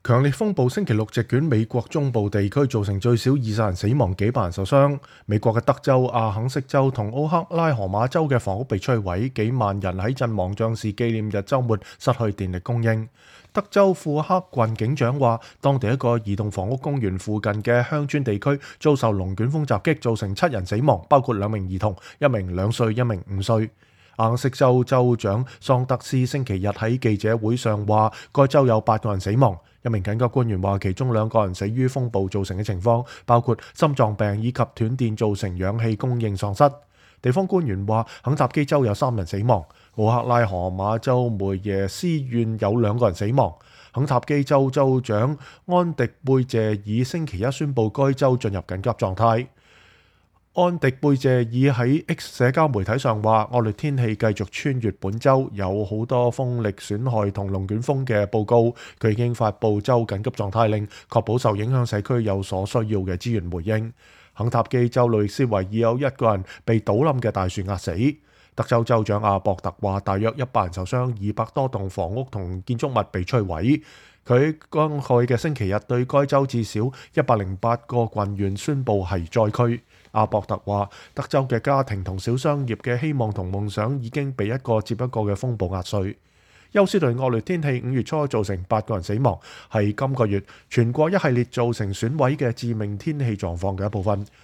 強烈風暴星期六席捲美國中部地區，造成最少20人死亡，幾百人受傷。美國嘅德州、阿肯色州同奧克拉荷馬州嘅房屋被摧毀，幾萬人喺陣亡將士紀念日週末失去電力供應。德州庫克郡警長話，當地一個兒童房屋公園附近嘅鄉村地區遭受龍捲風襲擊，造成7人死亡，包括2名兒童，一名2歲，一名5歲。阿肯色州州長桑德斯星期日喺記者會上話，該州有8個人死亡。一名緊急官員話，其中2個人死於風暴造成嘅情況，包括心臟病以及斷電造成氧氣供應喪失。地方官員話，肯塔基州有3人死亡，奧克拉荷馬州梅耶斯縣有2個人死亡。肯塔基州州長安迪貝謝爾星期一宣布該州進入緊急狀態。安迪貝謝爾喺 X 社交媒體上話，惡劣天氣繼續穿越本州，有好多風力損害同龍捲風嘅報告。佢已經發布州緊急狀態令，確保受影響社區有所需要嘅資源回應。肯塔基州路易斯維爾有1個人被倒冧嘅大樹壓死。德州州長阿博特話，大約100人受傷，200多棟房屋同建築物被摧毀。佢剛去嘅星期日對該州至少108個郡縣宣布係災區。阿博特話，德州嘅家庭同小商業嘅希望同夢想已經被一個接一個嘅風暴壓碎。休斯頓惡劣天氣5月初造成8個人死亡，係今個月全國一系列造成損毀嘅致命天氣狀況嘅一部分。